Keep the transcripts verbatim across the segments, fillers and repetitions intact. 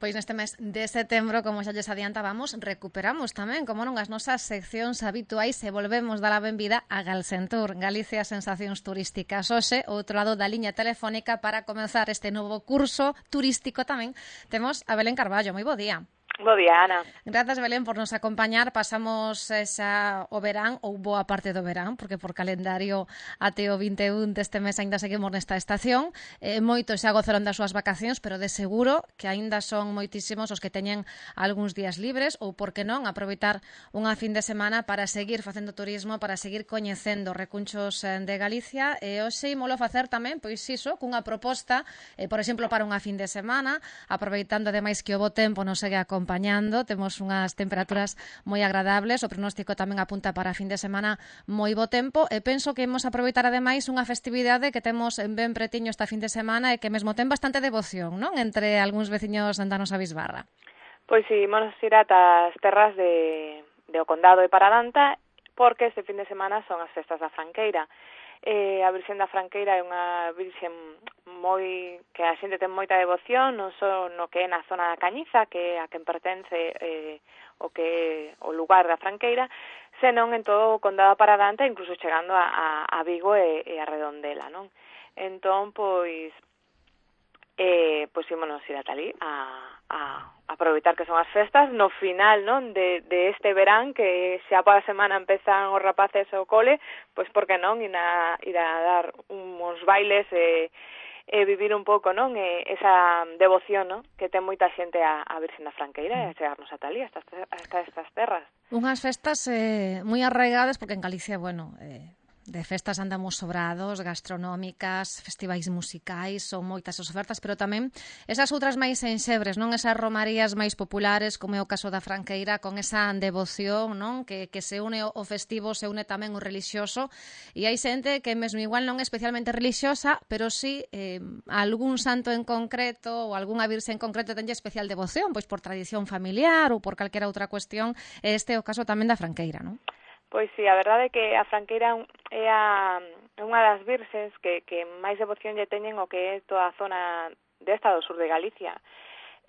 Pois neste mes de setembro, como xa lles adiantábamos, recuperamos tamén, como non, as nosas seccións habituais e volvemos dar a benvida a Galsentur, Galicia Sensacións Turísticas. Hoxe, outro lado da liña telefónica para comenzar este novo curso turístico tamén, temos a Belén Carballo. Moi bo día. Bo día, Ana. Grazas, Belén, por nos acompañar. Pasamos xa o verán, ou boa parte do verán, porque por calendario até o vinte e un deste mes aínda seguimos nesta estación. Eh, moitos xa gozaron das súas vacacións, pero de seguro que aínda son moitísimos os que teñen algúns días libres, ou, por que non, aproveitar unha fin de semana para seguir facendo turismo, para seguir coñecendo recunchos de Galicia. E hoxe imolo facer tamén, pois iso, cunha proposta, eh, por exemplo, para unha fin de semana, aproveitando ademais que o bo tempo nos segue acompañando. Temos unhas temperaturas moi agradables, o pronóstico tamén apunta para a fin de semana moi bo tempo, e penso que imos aproveitar ademais unha festividade que temos ben pretiño esta fin de semana e que mesmo ten bastante devoción, non? Entre algúns veciños da nosa bisbarra. Pois si, imos ir ata as terras de, de o condado de Paradanta, porque este fin de semana son as festas da Franqueira. Eh, a Virxen da Franqueira é unha virxen moi que a xente ten moita devoción, non só no que é na zona da Cañiza, que é a quen pertence eh, o que é o lugar da Franqueira, senón en todo o condado de Paradanta, incluso chegando a, a, a Vigo e, e a Redondela, non? Entón, pois, eh, pois ímonos ir ata ali a, a aproveitar que son as festas no final, non, de, de este verán, que xa para a semana empezan os rapaces ao cole, pois por que non ir a, ir a dar uns bailes e, e vivir un pouco, non, e esa devoción, non, que ten moita xente a, a Virxen da Franqueira e a chegarnos ata ali, hasta, hasta estas terras. Unhas festas eh, moi arraigadas, porque en Galicia, bueno, eh, de festas andamos sobrados, gastronómicas, festivais musicais, son moitas as ofertas, pero tamén esas outras máis enxebres, non, esas romarías máis populares, como é o caso da Franqueira, con esa devoción, non, que, que se une o festivo, se une tamén o relixioso, e hai xente que mesmo igual non é especialmente relixiosa, pero sí eh, algún santo en concreto ou algunha virxe en concreto tenlle especial devoción, pois por tradición familiar ou por calquera outra cuestión. Este é o caso tamén da Franqueira, non? Pois si, a verdade é que a Franqueira é a, unha das virxes que, que máis devoción lle teñen o que é toda a zona desta do sur de Galicia.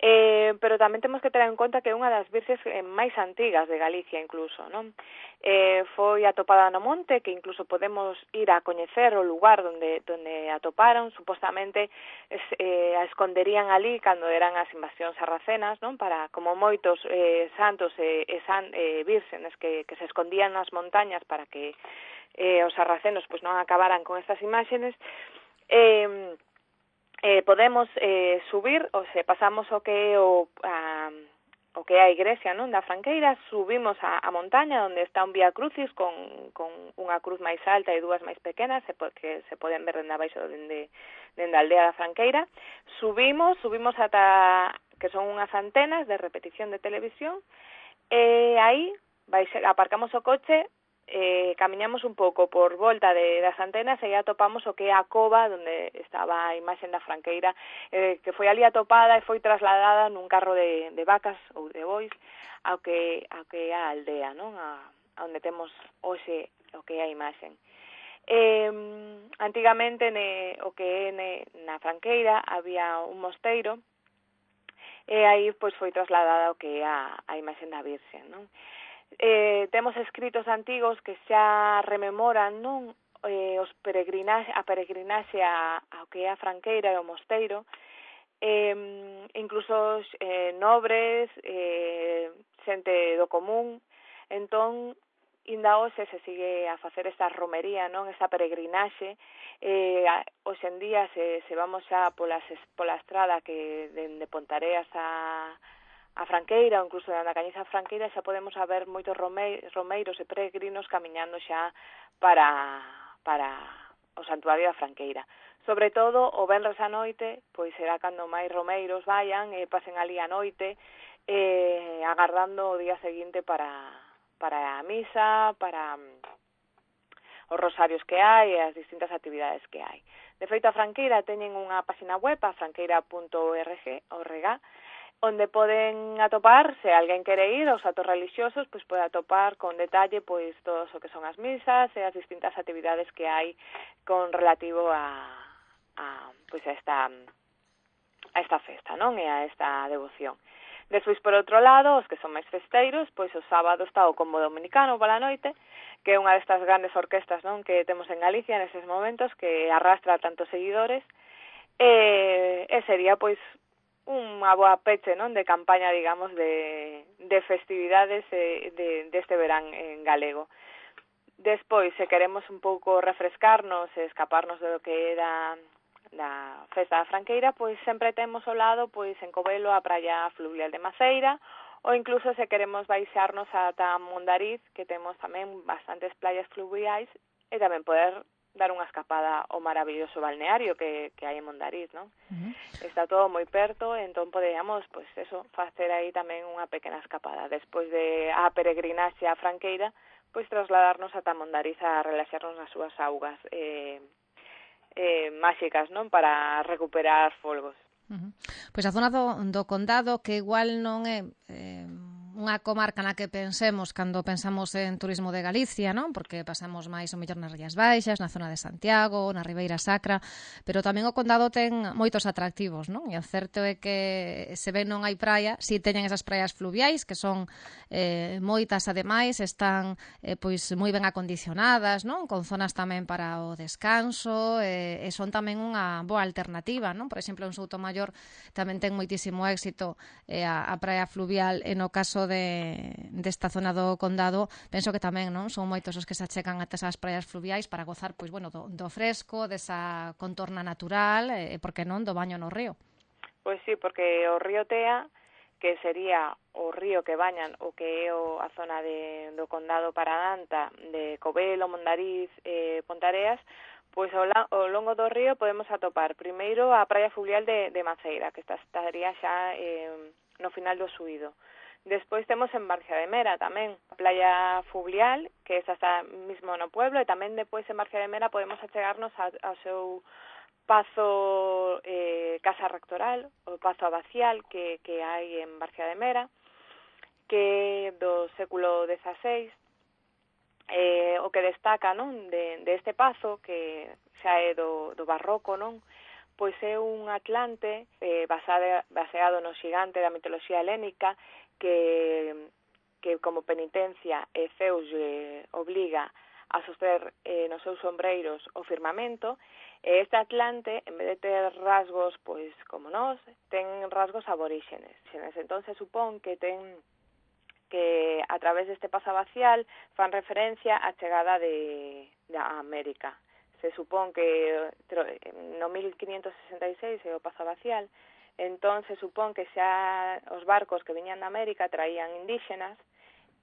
Eh, pero tamén temos que ter en conta que é unha das virxes máis antigas de Galicia incluso, non? Eh, foi atopada no monte, que incluso podemos ir a coñecer o lugar onde, onde atoparon, supostamente es, eh, a esconderían ali cando eran as invasións sarracenas, non? Para, como moitos eh, santos e eh, san, eh, vírgenes que, que se escondían nas montañas para que eh, os sarracenos pois non acabaran con estas imágenes. eh, Eh, podemos eh, subir, ou se pasamos o que é o, a, o que é a igrexa, non, da Franqueira, subimos a, a montaña onde está un Vía Crucis con, con unha cruz máis alta e dúas máis pequenas, que se poden ver dende abaixo dende, dende a aldea da Franqueira. Subimos, subimos ata que son unhas antenas de repetición de televisión, e aí vai ser, aparcamos o coche, Eh, camiñamos un pouco por volta de, das antenas e atopamos o que é a cova onde estaba a imaxe da Franqueira, eh, que foi ali atopada e foi trasladada nun carro de, de vacas ou de bois ao que, ao que é a aldea, non? A, a onde temos hoxe o que é a imaxe. Eh, antigamente ne, o que é ne, na Franqueira había un mosteiro e aí pois foi trasladada o que é a, a imaxe da Virxe, non? Eh, temos escritos antigos que xa rememoran, non, eh, os peregrinaxe, a peregrinaxe a, ao que é a Franqueira e o mosteiro, eh, incluso eh, nobres, eh, xente do común. Entón, inda hoxe se sigue a facer esta romería, non, esa peregrinaxe. Eh, hoxe en día se, se vamos xa pola, pola estrada que dende Pontareas a a Franqueira, ou incluso na Cañiza Franqueira, xa podemos ver moitos romeiros e peregrinos camiñando xa para, para o santuario da Franqueira. Sobre todo, o venres a noite, pois será cando máis romeiros vayan e pasen ali a noite, eh, agardando o día seguinte para, para a misa, para os rosarios que hai e as distintas actividades que hai. De feito, a Franqueira teñen unha página web, a franqueira punto org, onde poden atopar, se alguén quere ir aos actos religiosos, pois pode atopar con detalle pois todo o que son as misas e as distintas actividades que hai con relativo a, a pois a esta a esta festa, non? E a esta devoción. Despois, por outro lado, os que son máis festeiros, pois o sábado está o Combo Dominicano pola noite, que é unha destas grandes orquestas, non, que temos en Galicia neses momentos, que arrastra tantos seguidores, e, e sería, pois, unha boa peche, non, de campaña, digamos, de, de festividades de, de, deste verán en galego. Despois, se queremos un pouco refrescarnos e escaparnos do que era da festa da Franqueira, pois sempre temos ao lado, pois en Covelo, a praia fluvial de Maceira, ou incluso se queremos baixarnos ata Mondariz, que temos tamén bastantes playas fluviais, e tamén poder dar unha escapada ao maravilloso balneario que, que hai en Mondariz, non? Uh-huh. Está todo moi perto, entón poderíamos, pois eso, facer aí tamén unha pequena escapada. Despois de a peregrinaxe a Franqueira, pois trasladarnos ata Mondariz a relaxarnos nas súas augas eh, eh, máxicas, non? Para recuperar folgos. Uh-huh. Pois a zona do, do condado, que igual non é eh, unha comarca na que pensemos cando pensamos en turismo de Galicia, non? Porque pasamos máis o mellor nas Rías Baixas, na zona de Santiago, na Ribeira Sacra, pero tamén o condado ten moitos atractivos, non? E o certo é que se ven non hai praia, si teñen esas praias fluviais, que son eh, moitas ademais, están eh, pois moi ben acondicionadas, non? Con zonas tamén para o descanso, eh, e son tamén unha boa alternativa, non? Por exemplo, en Soutomaior tamén ten moitísimo éxito eh, a, a praia fluvial, e no caso de desta zona do condado, penso que tamén, non? Son moitos os que se achegan ata esas praias fluviais para gozar, pois, bueno, do, do fresco, desa contorna natural, e, por que non, do baño no río. Pois sí, porque o río Tea, que sería o río que bañan o que é o, a zona de, do condado Paradanta, de Covelo, Mondariz, eh, Pontareas, pois ao, la, ao longo do río podemos atopar primeiro a praia fluvial de, de Maceira, que está, estaría xa eh, no final do Suído. Despois temos en Barcia de Mera tamén a playa fluvial, que esa está mismo no pueblo, e tamén depois en Barcia de Mera podemos achegarnos a, ao seu pazo eh, casa rectoral, o pazo abacial que, que hai en Barcia de Mera, que do século dezaseis, eh, o que destaca, non, de, de este pazo, que xa é do, do barroco, non, pois é un atlante eh, basado, baseado no xigante da mitoloxía helénica, que, que como penitencia eh, Zeus eh, obliga a soster eh, nos seus sombreiros o firmamento, e este atlante, en vez de ter rasgos, pois, como nós, ten rasgos aboríxenes. Entón, se supón que ten que a través deste paso abacial fan referencia á chegada de, de América. Se supón que no mil quinientos sesenta e seis é o paso abacial, entón se supón que xa os barcos que viñan de América traían indígenas,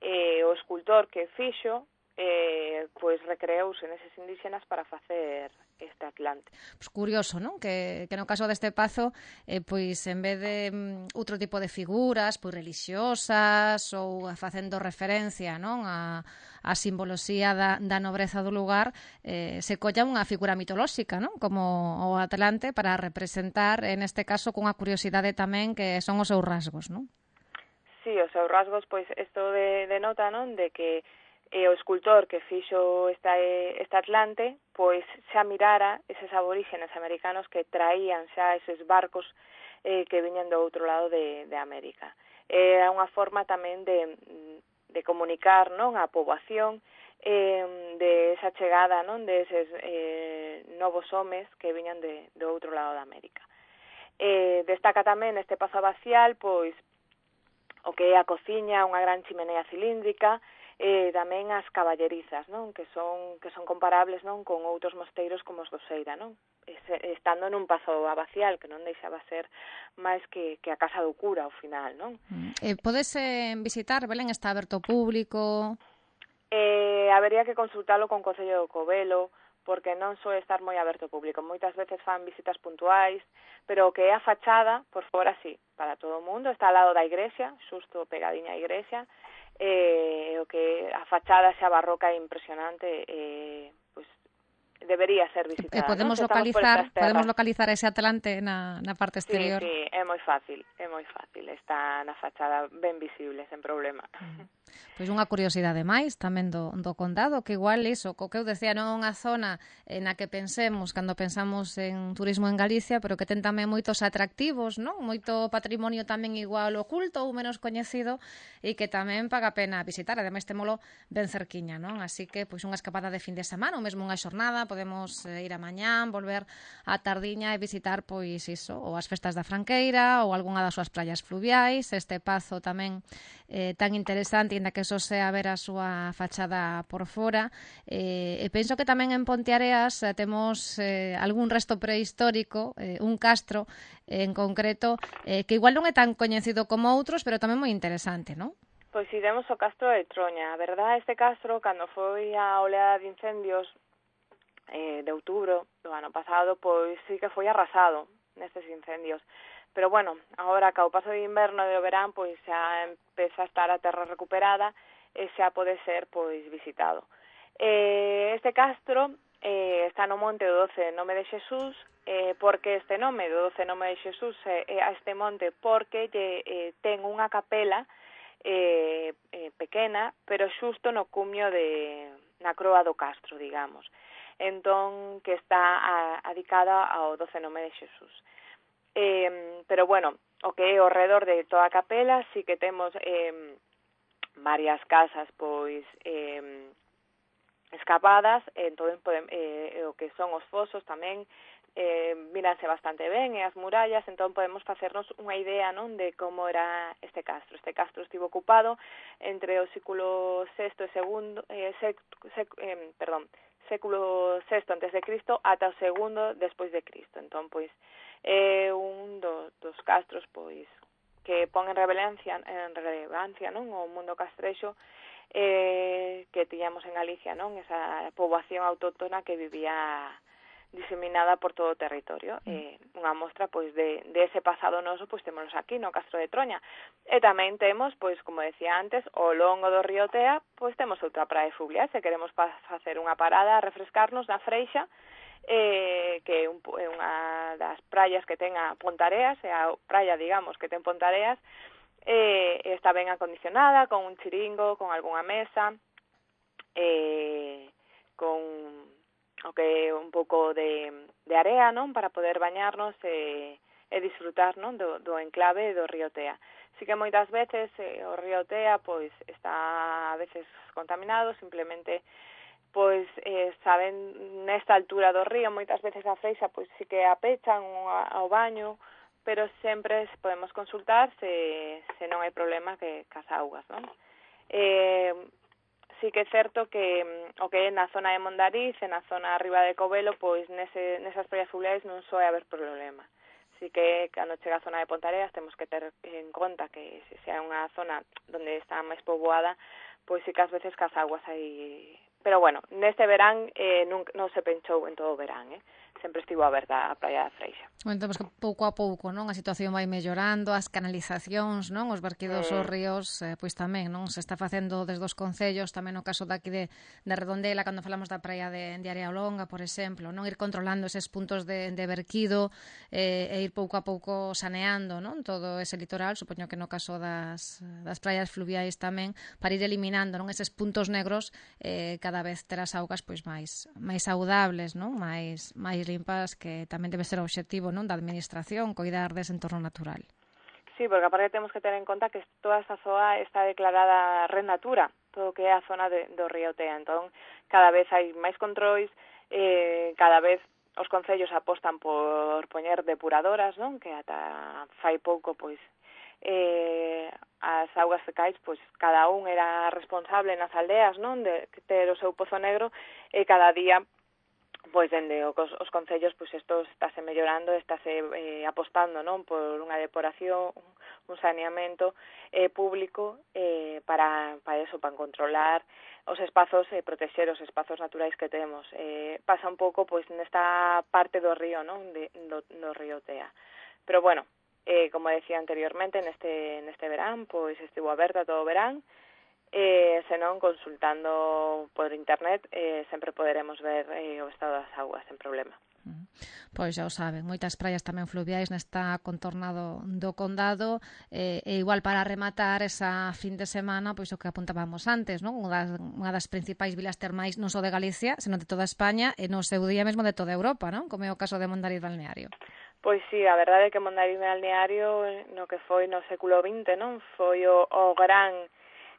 e o escultor que fixo eh, pois recreouse neses indígenas para facer este atlante. Pois curioso, non? Que, que no caso deste pazo, eh, pois en vez de um, outro tipo de figuras, pois religiosas ou facendo referencia, non, a, a simboloxía da, da nobreza do lugar, eh, se colla unha figura mitolóxica, non? Como o atlante, para representar, en este caso, cunha curiosidade tamén que son os seus rasgos, non? Sí, os seus rasgos, pois, isto de, de nota, non? De que e o escultor que fixo esta, este atlante, pois xa mirara eses aborígenes americanos que traían xa eses barcos eh, que viñan do outro lado de, de América. Era unha forma tamén de, de comunicar, non, a poboación eh, de esa chegada, non, de eses eh, novos homes que viñan de, do outro lado de América. Eh, destaca tamén este pazo abacial, pois, o que é a cociña, unha gran chimenea cilíndrica, e tamén as caballerizas, non, que son que son comparables, non, con outros mosteiros como os do Seira, non, estando nun pazo abacial, que non deixaba ser máis que, que a casa do cura ao final, non. Eh, podes eh, visitar, Belén, está aberto ao público? Eh, habería que consultalo con o Concello do Covelo, porque non soe estar moi aberto ao público. Moitas veces fan visitas puntuais, pero o que é a fachada, por fora sí, para todo o mundo, está ao lado da igrexa, xusto pegadiña á igrexa, eh, o que a fachada xa barroca é impresionante, eh, pois debería ser E visitada, podemos non? Se estamos por localizar, estas terras. podemos localizar ese Atlante na, na parte exterior. Sí, sí, é moi fácil, é moi fácil, está na fachada ben visible, sen problema. Mm. Pois unha curiosidade máis tamén do, do condado, que igual iso, co que eu decía, non é unha zona na que pensemos cando pensamos en turismo en Galicia, pero que ten tamén moitos atractivos, non? Moito patrimonio tamén igual oculto ou menos coñecido e que tamén paga a pena visitar, ademais témolo ben cerquiña, non? Así que pois unha escapada de fin de semana ou mesmo unha xornada, podemos eh, ir a mañán, volver a tardiña e visitar pois iso, ou as festas da Franqueira ou algunha das súas praias fluviais, este pazo tamén eh, tan interesante, inda que eso sea ver a súa fachada por fora. Eh, e penso que tamén en Ponteareas eh, temos eh, algún resto prehistórico, eh, un castro eh, en concreto, eh, que igual non é tan coñecido como outros, pero tamén moi interesante, non? Pois iremos ao castro de Troña. A verdade, este castro, cando foi a oleada de incendios eh, de outubro do ano pasado, pois sí que foi arrasado nestes incendios. Pero bueno, agora que ao paso de inverno e do verán, pois xa empeza a estar a terra recuperada e xa pode ser pois visitado. Eh, este castro eh, está no monte do doce nome de Xesús. Eh, porque este nome do doce nome de Xesús é eh, a este monte? Porque lle, eh, ten unha capela eh, eh, pequena, pero xusto no cumio de na croa do castro, digamos. Entón, que está adicada ao doce nome de Xesús. Eh, pero bueno, o que é ao redor de toda a capela, sí que temos eh, varias casas pois eh, escavadas, entón podem, eh, o que son os fosos tamén eh, míranse bastante ben, e as murallas, entón podemos facernos unha idea, non, de como era este castro. Este castro estivo ocupado entre o século sexto e segundo, eh, sec, sec, eh, perdón, século sexto antes de Cristo ata o segundo despois de Cristo. Entón, pois, é un do, dos castros pois que pon en relevancia, en relevancia, non, o mundo castrexo eh, que tiñamos en Galicia, non, esa poboación autóctona que vivía diseminada por todo o territorio. Eh, unha mostra pois de, de ese pasado noso, pois temos aquí no Castro de Troña. E tamén temos, pois como decía antes, ao longo do río Tea, pois temos outra praia fluvial, se queremos pa facer unha parada a refrescarnos na Freixa, eh, que é un, unha das praias que ten a Pontareas, é a praia, digamos, que ten Pontareas, eh, está ben acondicionada, con un chiringo, con algunha mesa, eh, con o que é un pouco de, de area, non, para poder bañarnos e, e disfrutar, non, do, do enclave do río Tea. Si que moitas veces eh, o río Tea pois está a veces contaminado, simplemente pois eh, saben nesta altura do río, moitas veces a Freixa pois sí que apechan ao baño, pero sempre podemos consultar se, se non hai problema que cas augas, non? Eh, sí que é certo que o que é na zona de Mondariz e na zona arriba de Covelo, pois nese, nesas praias fluviais non soe haber problema. Así que cando chega a zona de Pontareas temos que ter en conta que se sea unha zona onde está máis poboada, pois sí que ás veces cas aguas hai. Pero bueno, neste verán eh, non, non se penchou en todo o verán, eh? Sempre estivo aberta a praia da Freixa. Entón, que pouco a pouco, non, a situación vai mellorando, as canalizacións, non, os verquidos Mm. aos ríos, eh, pois tamén, non, se está facendo desde os concellos, tamén no caso daqui de, de Redondela, cando falamos da praia de, de Area Longa, por exemplo, non, ir controlando eses puntos de, de verquido eh, e ir pouco a pouco saneando, non, todo ese litoral, supoño que no caso das, das praias fluviais tamén, para ir eliminando, non, eses puntos negros, eh, cada vez ter as augas pois máis máis saudables, non, máis máis limpas, que tamén debe ser o obxectivo, non, da administración, coidar dese entorno natural. Sí, porque aparte temos que ter en conta que toda esta zona está declarada Red Natura, todo o que é a zona de, do río Tea. Entón, cada vez hai máis controis, eh, cada vez os concellos apostan por poñer depuradoras, non? Que ata fai pouco, pois, eh, as augas fecais, pois, cada un era responsable nas aldeas, non? De ter o seu pozo negro, e cada día pois dende os, os concellos pois isto estáse mellorando, estáse eh, apostando, non, por unha depuración, un saneamento eh, público eh, para para eso, para controlar os espazos e eh, protexer os espazos naturais que temos. Eh, pasa un pouco pois nesta parte do río, non, de, do, do río Tea. Pero bueno, eh, como decía anteriormente, neste neste verán, pois estivo aberta todo o verán. e senón consultando por internet eh, sempre poderemos ver eh, o estado das augas sen problema. Pois xa o saben, moitas praias tamén fluviais nesta contorna do, do condado eh, e igual para rematar esa fin de semana, pois o que apuntábamos antes, non? Unha das, unha das principais vilas termais non só de Galicia, senón de toda España e no seu día mesmo de toda Europa, non? Como é o caso de Mondariz Balneario. Pois sí, a verdade é que Mondariz Balneario no que foi no século vinte, non? Foi o, o gran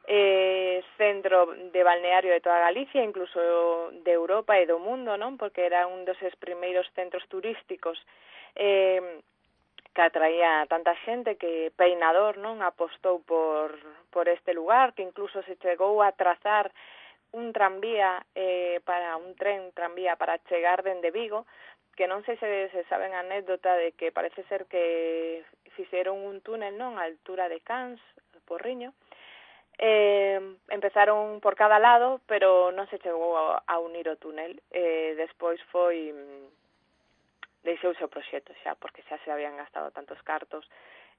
eh, centro de balneario de toda Galicia, incluso de Europa e do mundo, non? Porque era un dos primeiros centros turísticos eh, que atraía tanta xente que Peinador, non, apostou por, por este lugar, que incluso se chegou a trazar un tranvía eh, para un tren tranvía para chegar dende Vigo, que non sei se, se saben a anécdota de que parece ser que fixeron un túnel, non, a altura de Cans, Porriño. Eh, empezaron por cada lado, pero non se chegou a, a unir o túnel. Eh, despois foi deixouse o proxecto xa, porque xa se habían gastado tantos cartos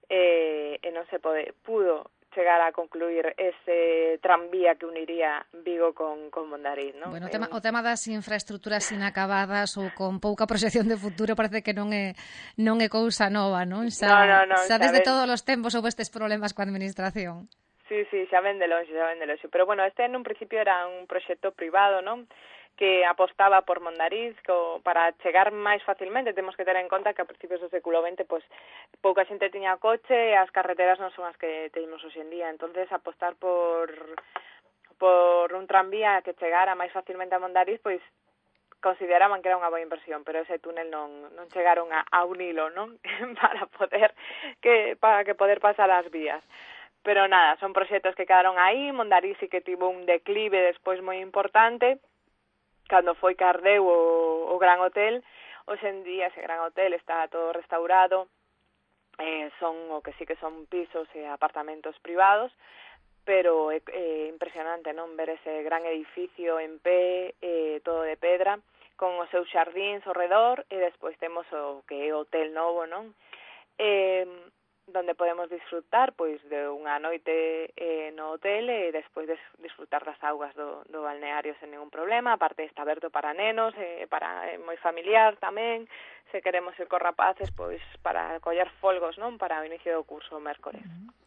eh, e non se pode, pudo chegar a concluir ese tranvía que uniría Vigo con, con Mondariz, non? Bueno, o tema, o tema das infraestructuras inacabadas ou con pouca proxección de futuro parece que non é non é cousa nova, non? Xa, no, no, no, xa desde ven... todos os tempos houve estes problemas coa administración. Sí, sí, xa ven de longe, xa ven de longe. Pero bueno, este en un principio era un proxecto privado, non? Que apostaba por Mondariz co, para chegar máis facilmente. Temos que ter en conta que a principios do século vinte pois, pouca xente tiña coche e as carreteras non son as que temos hoxe en día. Entonces apostar por por un tranvía que chegara máis facilmente a Mondariz, pois consideraban que era unha boa inversión, pero ese túnel non, non chegaron a, a unilo, non? para poder que para que poder pasar as vías. Pero nada, son proxectos que quedaron aí. Mondariz sí que tivo un declive despois moi importante, cando foi que ardeu o, o Gran Hotel. Hoxe en día ese Gran Hotel está todo restaurado, eh, son o que sí que son pisos e apartamentos privados, pero é, é impresionante, non, ver ese gran edificio en pé, eh, todo de pedra, con os seus xardíns ao redor, e despois temos o que é o Hotel Novo, non? Eh, donde podemos disfrutar pois de unha noite eh, no hotel e despois de disfrutar das augas do, do balneario sen ningún problema. Aparte está aberto para nenos, eh, para eh, moi familiar tamén, se queremos ir con rapaces, pois para coller folgos, non, para o inicio do curso o mércores.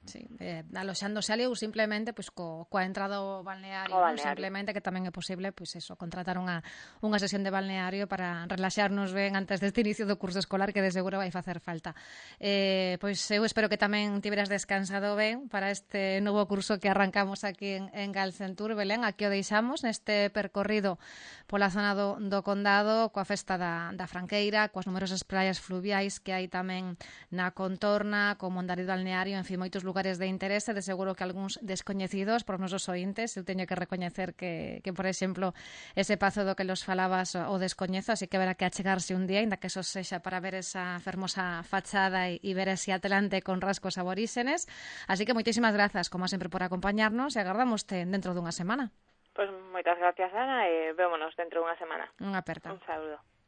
Sí, eh, aloxándose ali ou simplemente pois co, coa entrada ao balneario, o balneario. Non? Simplemente que tamén é posible pois eso, contratar unha, unha sesión de balneario para relaxarnos ben antes deste inicio do curso escolar, que de seguro vai facer falta. Eh, pois eu espero que tamén tiveras descansado ben para este novo curso que arrancamos aquí en, en Galcentur, Belén. Aquí o deixamos neste percorrido pola zona do, do condado, coa festa da, da Franqueira, coas numerosas praias fluviais que hai tamén na contorna, co Mondariz Balneario, en fin, moitos lugares de interese, de seguro que algúns descoñecidos por nosos ointes. Eu teño que recoñecer que, que por exemplo, ese pazo do que los falabas o descoñezo, así que haberá que achegarse un día, ainda que eso sexa para ver esa fermosa fachada e, e ver ese atlante con rasgos aboríxenes. Así que moitísimas grazas, como sempre, por acompañarnos e agardámoste dentro dunha semana. Pois moitas gracias, Ana, e vémonos dentro dunha semana. Unha aperta. Un saúdo.